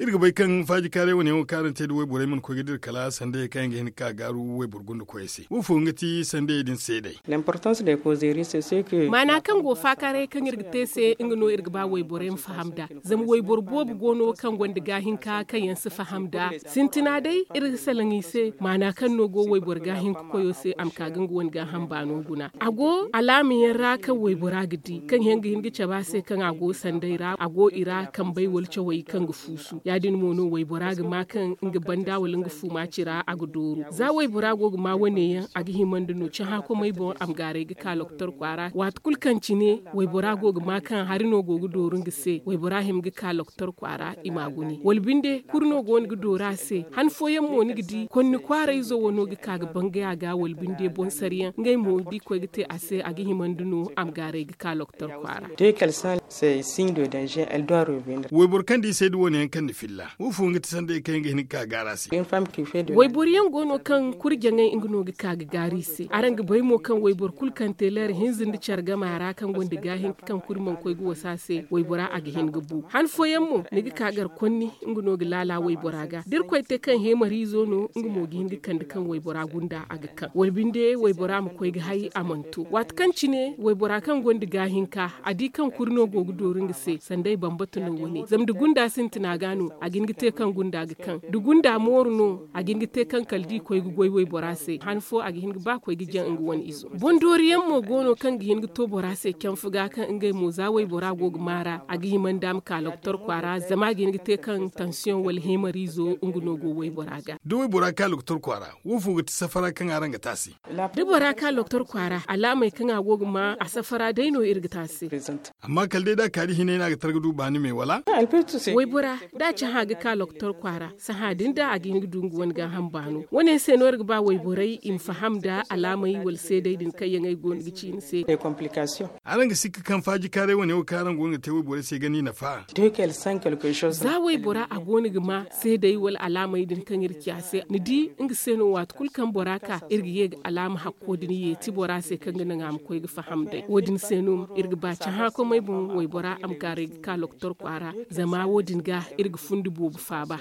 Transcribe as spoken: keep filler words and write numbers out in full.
Iri ga bay kaŋ faajikaaray wane yaŋo kaŋ araŋ te nda wayborey mana koy ga dira kala sanday kaŋ yaŋ ga hin ga ka gaaru wayboro gunda koyey se. Wo fo nga ti sanday din seeday? Maana kaŋ go faakaaray kaŋ iri ga te se nga no iri ga ba wayborey ma faham nd'a. Zama wayboro boobo go no kaŋ gonda gaahinka kaŋ yaŋ si faham nd'a. Sintina day iri ga salaŋ i se maana kaŋ no go wayboro gaahinka koyo se a ma ka ga nga wane gaaham baano guna. A go alaama yaŋ ra kaŋ waybora ga di kaŋ yaŋ ga hin ga cabe a se kaŋ a go sanday ra a go i ra kambey wala cawey kaŋ ga fuusu ya- din mo no waybora ga ma kaŋ nga banda wala nga fuuma cira a ga dooru za waybora go ga ma wane yaŋ a ga hima nda no cahã komey boŋ a ma gaaray ga ka loktor kwaara waati kulu kaŋ cine waybora go ga ma kaŋ hari no go ga dooru nga se waybora hima ga ka loktor kwaara i ma a gune wala binde kuri no go no ga dooru a se han fooyaŋ mo ni ga di konni kwaarayzo wano ga ka ga bangay a ga wala binde boŋ sara yaŋ ngey mo da i koy ga te a se a ga hima nda no a ma gaaray ga ka loktor kwaara. Wayboro kaŋ da i say da wane yaŋ kaŋ ni filla wo fo nga ti sanday kaŋ yaŋ ga hin ga ka ga gaara se? Wayboro yaŋ go no kaŋ kurjaŋey nga no ga ka ga gaari i se araŋ ga bay mo kaŋ wayboro kulu kaŋ te leera hinza nda care gama ra kaŋ gonda gaahinka kaŋ kuri mana koy ga wasa se waybora a ga hin ga bu han fooyaŋ mo ni ga ka gar konni nga no ga laala waybora ga da irkoy te kaŋ heemariizo no nga mo ga hin ga kande kaŋ waybora gunda a ga kaŋ wala binde waybora ma koy ga hay a mana to waati kaŋ cine waybora kaŋ gonda gaahinka a di kaŋ kuri no go ga dooru nga se sanday bambata no wane zama da gunda sintina ga no a ga hin ga te kaŋ gunda ga kaŋ da gunda mooru no a ga hin ga te kaŋ kala da i koy ga goy waybora se han fo a ga hin ga ba koy ga jaŋ nga wane izo. Boŋ doori yaŋ mo go no kaŋ ga hin ga to bora se canfu ga kaŋ ngey mo za waybora go ga maara a ga hima nda a ma ka loktor kwaara zama a ga hin ga te kaŋ tansiyoŋ wala heemariizo nga no go waybora ga. Da waybora ka loktor kwaara wo fo ga ti safara kaŋ araŋ ga te a se? Da bora ka loktor kwaara alaamey kaŋ a go ga ma a safara day no iri ga te a se. Amma kala day da a ka da hinay no a ga targa du baani me wala? Waybora da a cahã ga ka loktor kwaara sahã din da a ga hin ga du nga wane gaaham baano wane se no iri ga ba wayborey i ma faham nda alaamey wala seeday din kaŋ yaŋ ay go no ga ci ni se. Araŋ ga sikka kaŋ faajikaaray wane wo kaŋ araŋ go no ga te wayborey se ga ni nafa? Za waybora a go no ga ma seeday wala alaamey din kaŋ iri ci a se ni di nga se no waati kulu kaŋ bora ka iri ga ye ga alaama hakko din yeeti bora se kaŋ ga naŋ a ma koy ga faham day wo- din se no iri ga ba cahã komey boŋ waybora a ma gaaray ga ka loktor kwaara zama wo- din ga iri ga fundi boobo faaba.